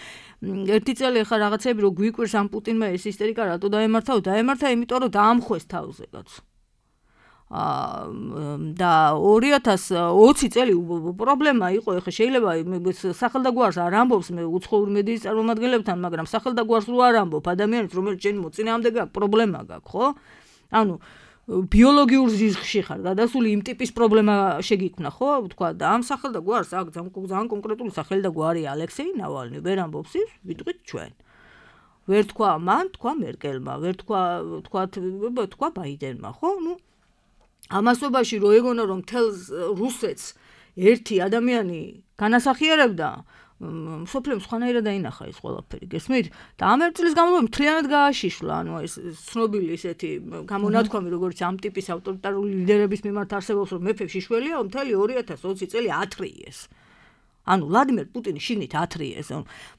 ერთი წელი ხა რაღაცები რო გვიკვირს ამ პუტინმა ეს ისტერიკა რატო დაემართა? დაემართა იმიტომ რომ დაამხვეს თავზე კაცო. და ორი ათას ოცი წელი პრობლემა იყო, ეხლა შეიძლება სახელდაგვარს არ ამბობს მე უცხოური მედიის წარმომადგენლებთან, მაგრამ სახელდაგვარს რო არ ამბობ ადამიანს, რომელიც შენ მოწინააღმდეგე აქვს, პრობლემა გაქვს, ხო? ანუ ბიოლოგიურ ზიზღში ხარ, გადასული იმ ტიპის პრობლემა შეგიქმნა, ხო? თქვა და ამ სახელდაგვარს აქ ძალიან კონკრეტული სახელდაგვარი ალექსეი ნავალნი, ვერ ამბობს ის, ვიტყვით ჩვენ. ვერ თქვა მან, თქვა მერკელმა, ვერ თქვა თქვა თქვა ბაიდენმა, ხო? ნუ ამასობაში რო ეგონა რომ თელს რუსეთს ერთი ადამიანი განასახიერებდა, მსოფლიომ სხვანაირად დაინახა ეს ყველაფერი, გესმით? და ამ ერთ წლის განმავლობაში მთლიანად გააშიშლა, ანუ ეს ცნობილი ესეთი გამონათქვამი, როგორც ამ ტიპის ავტორიტარული ლიდერების მიმართ არსებობს, რომ მეფე შიშველია, მთელი ორი ათას ოცი წელი ათრიეს. ანუ ვლადიმერ პუტინი შიგნით ათრიეს.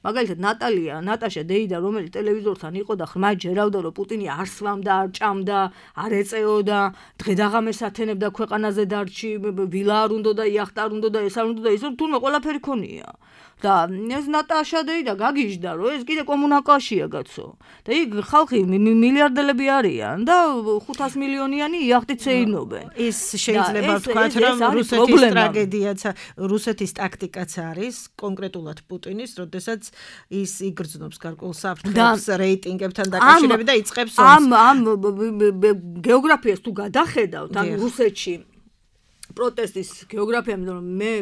მაგალითად ნატალია, ნატაშა დეიდა, რომელიც ტელევიზორთან იყო და ხმად ჯერავდა, რომ პუტინი არ სვამდა, არ ჭამდა, არ ეწეოდა, დღე-დაღამეს ათენებდა ქვეყანაზე დარჩი, ვილა არ უნდა და იახტა არ უნდა და ეს არ უნდა და ის თურმე ყველაფერი ქონია. და ეს ნატაშა დეიდა გაგიჟდა, რომ ეს კიდე კომუნაკაშია კაცო. და იქ ხალხი მილიარდელები არიან და ხუთას მილიონიანი იახტით შეინობენ. ის შეიძლება ვთქვათ, რომ რუსეთის ტრაგედიაც, რუსეთის ტაქტიკაც არის კონკრეტულად პუტინის, როდესაც ის იგრძნობს გარკვეულ საფრთხეს რეიტინგებთან დაკავშირებით და იწყებს ამ ამ გეოგრაფიას თუ გადახედავთ, ან რუსეთში პროტესტის გეოგრაფია, რომ მე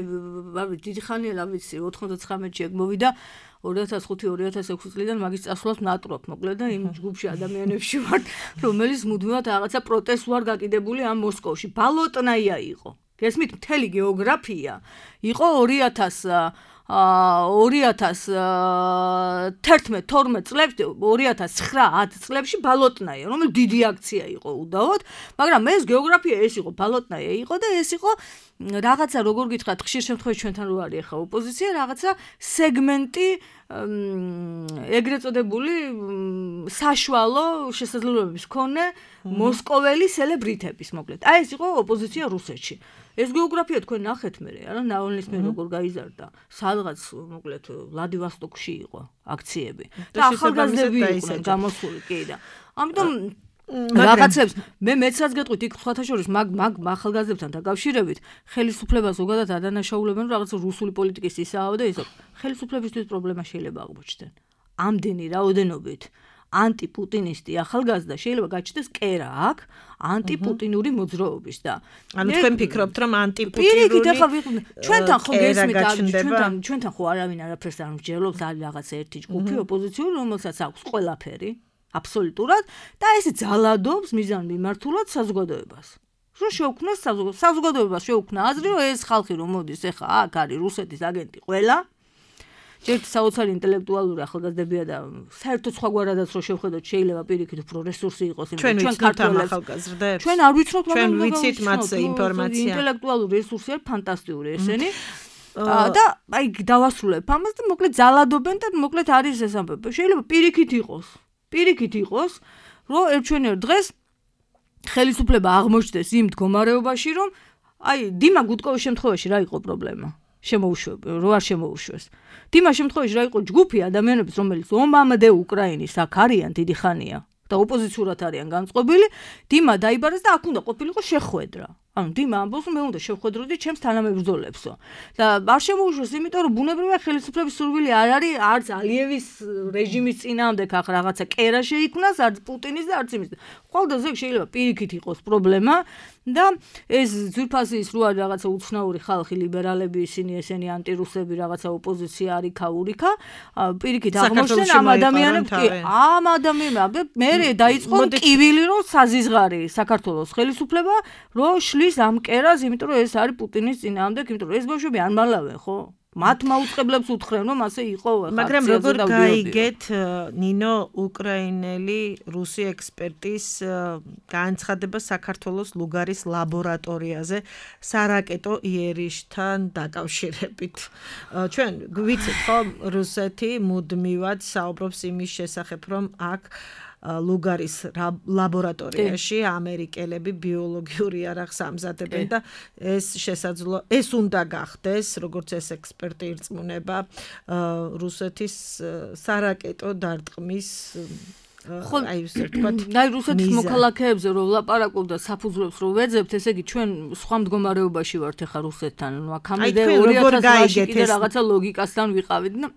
დიდი ხანია ვიცი, ოთხმოცდათცხრამეტში ეგ მოვიდა ორი ათას ხუთი ორი ათას ექვსი წლიდან მაგის წასვლას ნატრობ, მოკლედ და იმ ჯგუფში ადამიანებში ვარ, რომელიც მუდმივად რაღაცა პროტესტს ვარ გაკიდებული ამ მოსკოვში. ბალოტნაია იყო. გესმით, მთელი გეოგრაფია იყო ორი ათას ორი ათას თერთმეტ თორმეტ წლებში, ორი ათას ცხრა ათ წლებში ბალოტნაია, რომელიც დიდი აქცია იყო უდავოდ, მაგრამ ეს გეოგრაფია ეს იყო, ბალოტნაია იყო და ეს იყო რაღაცა, როგორ გითხრათ, ხშირ შემთხვევაში ჩვენთან რო არის ახლა ოპოზიცია, რაღაცა სეგმენტი ეგრეთ წოდებული საშუალო შესაძლებლობების მქონე მოსკოველი სელებრიტების, მოკლედ. აი ეს იყო ოპოზიცია რუსეთში. ეს გეოგრაფია თქვენ ნახეთ მერე, არა, ნავალნის მე როგორ გაიზარდა. სადღაც, მოკლედ, ვლადივოსტოკში იყო აქციები. და ახალგაზრდები იყვნენ გამოსული, კი და. ამიტომ რაღაცებს მე მეცაც გეტყვით იქ სხვათა შორის მაგ მაგ ახალგაზრდებთან დაკავშირებით ხელისუფლებას ზოგადად ადანაშაულებენ რომ რაღაც რუსული პოლიტიკის ისაა და ისო ხელისუფლებისთვის პრობლემა შეიძლება აღმოჩნდეს. ამდენი რაოდენობით ანტიპუტინისტი ახალგაზრდა შეიძლება გაჩნდეს კერა აქ ანტიპუტინური მოძრაობის და ანუ თქვენ ფიქრობთ რომ ანტიპუტინური პირიქით ახლა ჩვენთან ხო გესმით ჩვენთან ჩვენთან ხო არავინ არაფერს არ მსჯელობს არის რაღაც ერთი ჯგუფი ოპოზიციური რომელსაც აქვს ყველაფერი აბსოლუტურად და ეს ძალადობს მიზან მიმართულად საზოგადოებას. რომ შეუქმნას საზოგადოებას შეუქმნა აზრი რომ ეს ხალხი რომ მოდის ეხა აქ არის რუსეთის აგენტი ყველა ჯერ საოცარი ინტელექტუალური ახალგაზრდებია და საერთოდ სხვაგვარადაც რო შევხედოთ შეიძლება პირიქით უფრო რესურსი იყოს ჩვენ ქართველებს ახალგაზრდებს ჩვენ არ ვიცნობთ ჩვენ ვიცით მათ ინფორმაცია ინტელექტუალური რესურსი არის ფანტასტიკური ესენი და აი დავასრულებ ამას და მოკლედ ძალადობენ და მოკლედ არის ეს ამბები შეიძლება პირიქით იყოს პირიქით იყოს რომ ერჩვენერ დღეს ხელისუფლება აღმოჩნდეს იმ მდგომარეობაში რომ აი დიმა გუდკოვის შემთხვევაში რა იყო პრობლემა შემოუშვება რო არ შემოუშვეს დიმა შემთხვევაში რა იყო ჯგუფი ადამიანების რომელიც ომამდე უკრაინის აქ არიან დიდი ხანია და ოპოზიციურად არიან განწყობილი დიმა დაიბარეს და აქ უნდა ყოფილიყო შეხვედრა ანუ დიმა ამბობს მე უნდა შევხვედროდი ჩემს თანამებრძოლებსო და არ შემოუშვეს იმიტომ რომ ბუნებრივია ხელისუფლების სურვილი არ არის არც ალიევის რეჟიმის წინააღმდეგ ახ რაღაცა კერა შეიქმნას არც პუტინის და არც იმის ყოველდღე შეიძლება პირიქით იყოს პრობლემა და ეს ძვირფასი ის რო არის რაღაცა უცნაური ხალხი ლიბერალები ისინი ესენი ანტირუსები რაღაცა ოპოზიცია არის ქაურიქა პირიქით აღმოჩნდნენ ამ ადამიანებს კი ამ ადამიანებს მე დაიწყო კივილი რო საზიზღარი საქართველოს ხელისუფლება რო შლის ჭრის ამ კერას, იმიტომ რომ ეს არის პუტინის წინააღმდეგ, იმიტომ რომ ეს ბავშვები არ მალავენ, ხო? მათ მაუწყებლებს უთხრენ, რომ ასე იყო ხა. მაგრამ როგორ გაიგეთ ნინო უკრაინელი რუსი ექსპერტის განცხადება საქართველოს ლუგარის ლაბორატორიაზე სარაკეტო იერიშთან დაკავშირებით. ჩვენ ვიცით ხო რუსეთი მუდმივად საუბრობს იმის შესახებ, რომ აქ ლუგარის ლაბორატორიაში ამერიკელები ბიოლოგიური იარაღს ამზადებენ და ეს შესაძლო ეს უნდა გახდეს როგორც ეს ექსპერტი ირწმუნება რუსეთის სარაკეტო დარტყმის აი ესე ვთქვათ აი რუსეთის მოქალაქეებზე რომ ვლაპარაკობ და საფუძვლებს რომ ვეძებთ ესე იგი ჩვენ სხვა მდგომარეობაში ვართ ახლა რუსეთთან ნუ აქამდე ორი ათას წელში კიდე რაღაცა ლოგიკასთან ვიყავით და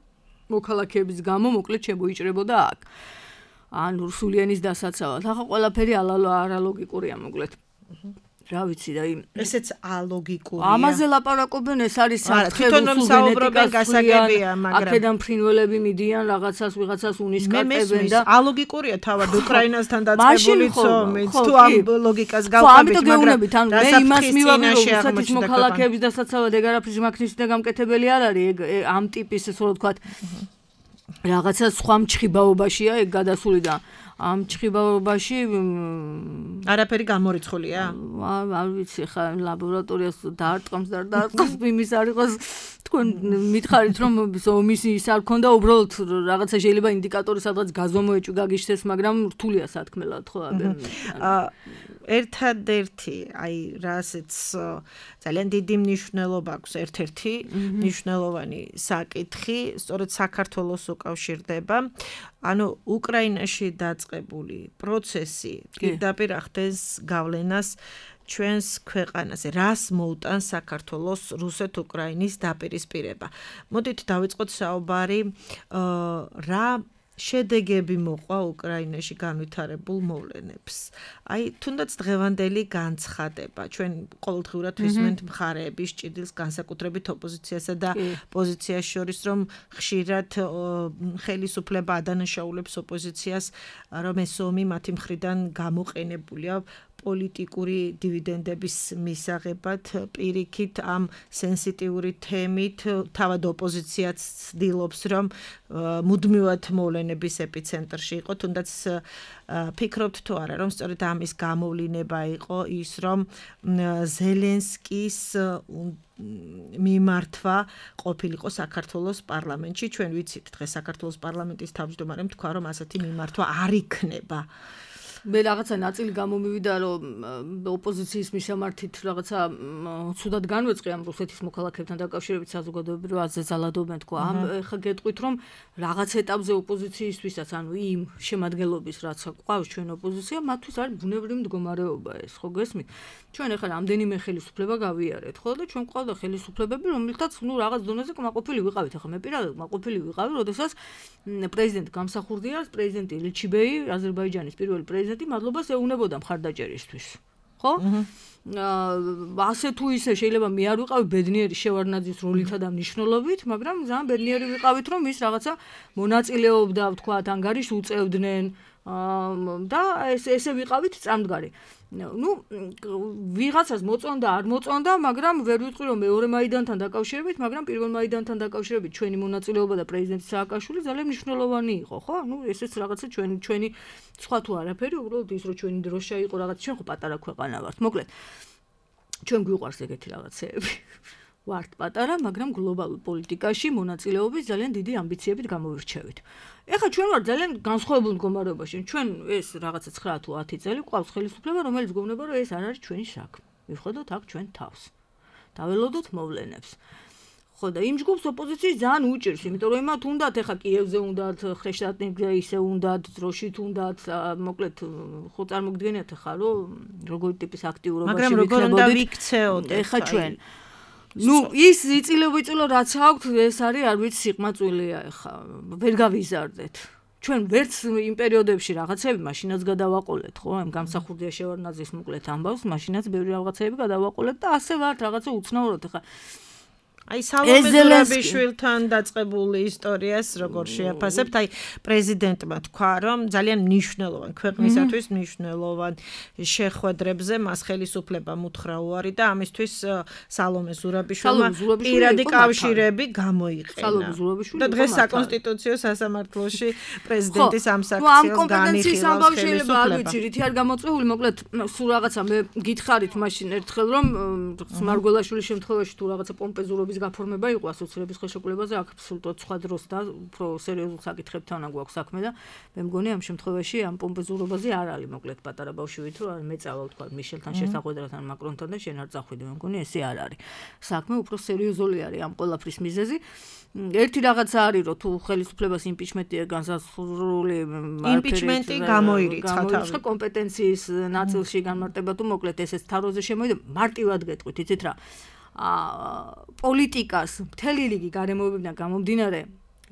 მოქალაქეების გამო მოკლედ შემოიჭრებოდა აქ ანუ სულიანის დასაცავად. ახლა ყველაფერი არალოგიკურია მოკლედ. რა ვიცი და იმ ესეც ალოგიკურია. ამაზე ლაპარაკობენ ეს არის საფრთხე რუსულ გენეტიკას აქედან ფრინველები მიდიან რაღაცას ვიღაცას უნისკარტებენ და ალოგიკურია თავად უკრაინასთან დაწყებული ცომით თუ ამ ლოგიკას გავყავით მაგრამ მე იმას მივაგე რომ რუსეთის მოქალაქეების დასაცავად ეგ არაფრის მაქნისი და გამკეთებელი არ არის ეგ ამ ტიპის ესე რომ ვთქვათ რაღაცა სხვა მჭხიბაობაშია ეგ გადასული და ამ მჭხიბაობაში არაფერი გამორიცხულია? არ ვიცი ხა ლაბორატორიას დაარტყამს და დაარტყამს იმის არ იყოს თქვენ მითხარით რომ ომის ის არ ქონდა უბრალოდ რაღაცა შეიძლება ინდიკატორი სადღაც გაზომოეჭვი გაგიშთეს მაგრამ რთულია სათქმელად ხო ერთადერთი აი რასეც ძალიან დიდი მნიშვნელობა აქვს ერთ-ერთი მნიშვნელოვანი საკითხი სწორედ საქართველოს უკავშირდება ანუ უკრაინაში დაწყებული პროცესი პირდაპირ ახდენს გავლენას ჩვენს ქვეყანაზე რას მოუტანს საქართველოს რუსეთ-უკრაინის დაპირისპირება მოდით დავიწყოთ საუბარი რა შედეგები მოყვა უკრაინაში განვითარებულ მოვლენებს. აი, თუნდაც დღევანდელი განცხადება, ჩვენ ყოველდღიურად ვისმენთ მხარეების ჭიდილს განსაკუთრებით ოპოზიციასა და პოზიციას შორის, რომ ხშირად ხელისუფლება ადანაშაულებს ოპოზიციას, რომ ეს ომი მათი მხრიდან გამოყენებულია პოლიტიკური დივიდენდების მისაღებად პირიქით ამ სენსიტიური თემით თავად ოპოზიციაც ცდილობს რომ მუდმივად მოვლენების ეპიცენტრში იყო თუნდაც ფიქრობთ თუ არა რომ სწორედ ამის გამოვლინება იყო ის რომ ზელენსკის მიმართვა ყოფილიყო საქართველოს პარლამენტში ჩვენ ვიცით დღეს საქართველოს პარლამენტის თავმჯდომარემ თქვა რომ ასეთი მიმართვა არ იქნება მე რაღაცა ნაწილი გამომივიდა რომ ოპოზიციის მისამართით რაღაცა ცუდად განვეწყე ამ რუსეთის მოქალაქეებთან დაკავშირებით საზოგადოებრივ აზრზე ზალადობენ თქო ამ ხა გეტყვით რომ რაღაც ეტაპზე ოპოზიციისთვისაც ანუ იმ შემადგენლობის რაც ყავს ჩვენ ოპოზიცია მათთვის არის ბუნებრივი მდგომარეობა ეს ხო გესმით ჩვენ ახლა რამდენიმე ხელისუფლება გავიარეთ ხო და ჩვენ ყავდა ხელისუფლებები რომელთაც ნუ რაღაც დონეზე კმაყოფილი ვიყავით ახლა მე პირადად კმაყოფილი ვიყავი როდესაც პრეზიდენტ გამსახურდიას პრეზიდენტი ლიჩიბეი აზერბაიჯანის პირველი პრეზიდენტი მადლობას ეუბნებოდა მხარდაჭერისთვის. ხო? აა ასე თუ ისე შეიძლება მე არ ვიყავი ბედნიერი შევარდნაძის როლითა და მნიშვნელობით, მაგრამ ძალიან ბედნიერი ვიყავით რომ ის რაღაცა მონაწილეობდა, ვთქვათ, ანგარიშს უწევდნენ და ეს ესე ვიყავით წამდგარი. ნუ ვიღაცას მოწონდა, არ მოწონდა, მაგრამ ვერ ვიტყვი რომ მეორე მაიდანთან დაკავშირებით, მაგრამ პირველ მაიდანთან დაკავშირებით ჩვენი მონაწილეობა და პრეზიდენტი სააკაშვილი ძალიან მნიშვნელოვანი იყო, ხო? ნუ ესეც რაღაცა ჩვენი ჩვენი სხვა თუ არაფერი, უბრალოდ ის რომ ჩვენი დროშა იყო რაღაც, ჩვენ ხო პატარა ქვეყანა ვართ. მოკლედ ჩვენ გვიყვარს ეგეთი რაღაცეები. ვართ პატარა, მაგრამ გლობალურ პოლიტიკაში მონაწილეობის ძალიან დიდი ამბიციებით გამოვირჩევით. ეხლა ჩვენ ვართ ძალიან განსხვავებულ მდგომარეობაში. ჩვენ ეს რაღაცა ცხრა თუ ათი წელი გვყავს ხელისუფლება, რომელიც გვეუბნება, რომ ეს არ არის ჩვენი საქმე. ვიხედოთ აქ ჩვენ თავს. დაველოდოთ მოვლენებს. ხო და იმ ჯგუფს ოპოზიციის ძალიან უჭირს, იმიტომ რომ იმათ უნდათ ეხლა კიევზე უნდათ, ხრეშტატინგზე ისე უნდათ, დროშით უნდათ, მოკლედ ხო წარმოგდგენიათ ეხლა რომ როგორი ტიპის აქტიურობაში ვიქნებოდით. მაგრამ როგორ უნდა ვიქცეოდეთ ეხლა ჩვენ ნუ ის იწილო-ვიწილო რაც აქვთ ეს არის არ ვიცი სიყმაწვილია ეხა ვერ გავიზარდეთ ჩვენ ვერც იმ პერიოდებში რაღაცები მაშინაც გადავაყოლეთ ხო ამ გამსახურდია შევარდნაძის მოკლედ ამბავს მაშინაც ბევრი რაღაცები გადავაყოლეთ და ასე ვართ რაღაცა უცნაურად ეხა აი სალომე ზურაბიშვილთან დაწყებული ისტორიას როგორ შეაფასებთ? აი პრეზიდენტმა თქვა, რომ ძალიან მნიშვნელოვან ქვეყნისათვის მნიშვნელოვან შეხვედრებზე მას ხელისუფლება მუთხრა უარი და ამისთვის სალომე ზურაბიშვილმა პირადი კავშირები გამოიყენა. და დღეს საკონსტიტუციო სასამართლოში პრეზიდენტის ამ საქციელს განიხილავს ხელისუფლება. არ ვიცი, რითი არ გამოწვეული, მოკლედ სულ რაღაცა მე გითხარით მაშინ ერთხელ რომ მარგველაშვილის შემთხვევაში თუ რაღაცა პომპეზურობის გაფორმება იყო ასოცირების ხელშეკრულებაზე, აქ აბსოლუტურად სხვა დროს და უფრო სერიოზულ საკითხებთან აგვაქვს საქმე და მე მგონი ამ შემთხვევაში ამ პომპეზურობაზე არ არის მოკლედ პატარა ბავშვით რომ არ მეწავა თქვა მიშელთან შესახვედრთან მაკრონთან და შენ არ წახვიდე, მე მგონი ესე არ არის. საქმე უფრო სერიოზული არის ამ ყველაფრის მიზეზი. ერთი რაღაცა არის რომ თუ ხელისუფლებას იმპიჩმენტია განსაზღვრული იმპიჩმენტი გამოირიცხა თავი კომპეტენციის ნაწილში განმარტება თუ მოკლედ ესეც თაროზე შემოვიდა მარტივად გეტყვით იცით რა პოლიტიკას მთელი რიგი გარემოებებიდან გამომდინარე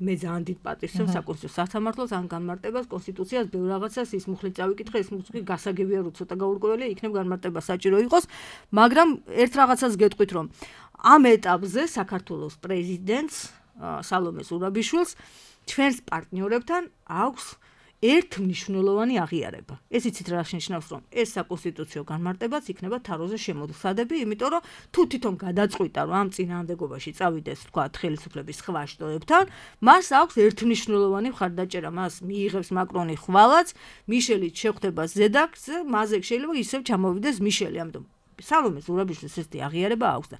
მე ძალიან დიდ პატივს ვცემ საკონსტიტუციო სასამართლოს ან განმარტებას კონსტიტუციას ბევრ რაღაცას ის მუხლით წავიკითხე ეს მუხლი გასაგებია რომ ცოტა გაურკვეველია იქნებ განმარტება საჭირო იყოს მაგრამ ერთ რაღაცას გეტყვით რომ ამ ეტაპზე საქართველოს პრეზიდენტს სალომე ზურაბიშვილს ჩვენს პარტნიორებთან აქვს ერთმნიშვნელოვანი აღიარება. ეს იცით რა შენიშნავს რომ ეს საკონსტიტუციო განმარტებაც იქნება თაროზე შემოდსადები, იმიტომ რომ თუ თვითონ გადაწყვიტა რომ ამ წინააღმდეგობაში წავიდეს თქვა ხელისუფლების სხვა შტოებთან, მას აქვს ერთმნიშვნელოვანი მხარდაჭერა, მას მიიღებს მაკრონი ხვალაც, მიშელიც შეხვდება ზედაკზე, მასზე შეიძლება ისევ ჩამოვიდეს მიშელი, ამიტომ სალომე ზურაბიშვილს ესეთი აღიარება აქვს და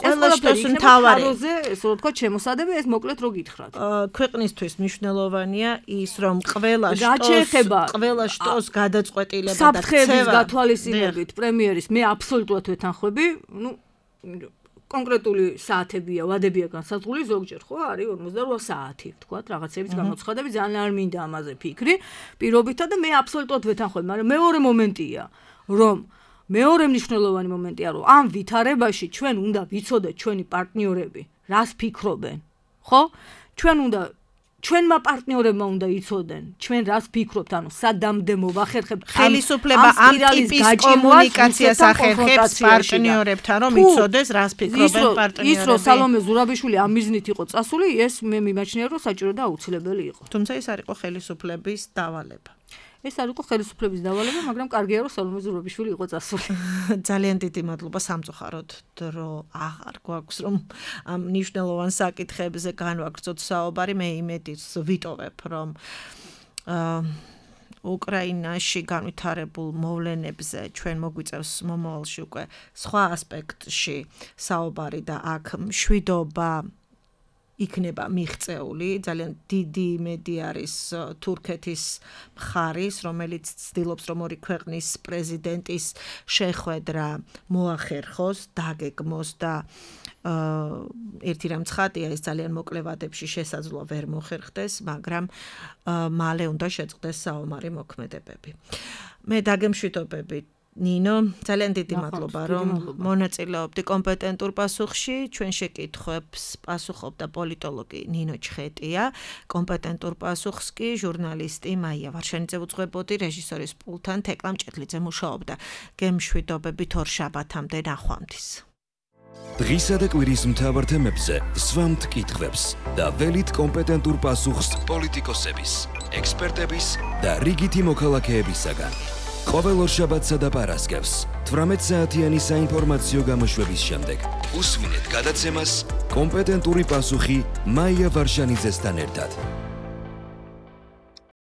ყველა შტოს მთავარი თაროზე ესე რომ თქვა შემოსადები ეს მოკლედ რო გითხრათ. ქვეყნისთვის მნიშვნელოვანია ის რომ ყველა შტოს ყველა შტოს გადაწყვეტილება და საფრთხეების გათვალისწინებით პრემიერის მე აბსოლუტურად ვეთანხმები, ну კონკრეტული საათებია, ვადებია განსაზღვრული ზოგჯერ ხო არის ორმოცდარვა საათი, თქვათ, რაღაცების გამოცხადები ძალიან არ მინდა ამაზე ფიქრი, პირობითა და მე აბსოლუტურად ვეთანხმები, მაგრამ მეორე მომენტია, რომ მეორე მნიშვნელოვანი მომენტია, რომ ამ ვითარებაში ჩვენ უნდა ვიცოდეთ ჩვენი პარტნიორები, რას ფიქრობენ, ხო? ჩვენ უნდა ჩვენმა პარტნიორებმა უნდა იცოდნენ, ჩვენ რას ფიქრობთ, ანუ სადამდე მოვახერხებთ ხელისუფლება ამ ტიპის კომუნიკაციას ახერხებს პარტნიორებთან, რომ იცოდეს, რას ფიქრობენ პარტნიორები. ის რომ სალომე ზურაბიშვილი ამ მიზნით იყო წასული, ეს მე მიმაჩნია, რომ საჭირო და აუცილებელი იყო. თუმცა ეს არ იყო ხელისუფლების დავალება. ეს არ იყო ხელისუფლების დავალება, მაგრამ კარგია რომ სალომე ზურაბიშვილი იყო წასული. ძალიან დიდი მადლობა სამწუხაროდ დრო აღარ გვაქვს რომ ამ მნიშვნელოვან საკითხებზე განვაგრძოთ საუბარი, მე იმედიც ვიტოვებ რომ უკრაინაში განვითარებულ მოვლენებზე ჩვენ მოგვიწევს მომავალში უკვე სხვა ასპექტში საუბარი და აქ მშვიდობა იქნება მიღწეული, ძალიან დიდი იმედი არის თურქეთის მხარის, რომელიც ცდილობს რომ ორი ქვეყნის პრეზიდენტის შეხვედრა მოახერხოს, დაგეგმოს და ერთი რამ ცხადია, ეს ძალიან მოკლე ვადებში შესაძლოა ვერ მოხერხდეს, მაგრამ მალე უნდა შეწყდეს საომარი მოქმედებები. მე დაგემშვიდობები ნინო, ძალიან დიდი მადლობა რომ მონაწილეობდი კომპეტენტურ პასუხში. ჩვენ შეკითხვებს პასუხობდა პოლიტოლოგი ნინო ჩხეტია, კომპეტენტურ პასუხს კი ჟურნალისტი მაია ვარშანიძე უძღვებოდი, რეჟისორის პულტთან თეკლა მჭედლიძე მუშაობდა. გემშვიდობებით ორ შაბათამდე ნახვამდის. დღისა და კვირის მთავარ თემებზე სვამთ კითხვებს და ველით კომპეტენტურ პასუხს პოლიტიკოსების, ექსპერტების და რიგითი მოქალაქეებისაგან. ყოველ ორშაბათსა და პარასკევს თვრამეტ საათიანი საინფორმაციო გამოშვების შემდეგ უსმინეთ გადაცემას კომპეტენტური პასუხი მაია ვარშანიძესთან ერთად.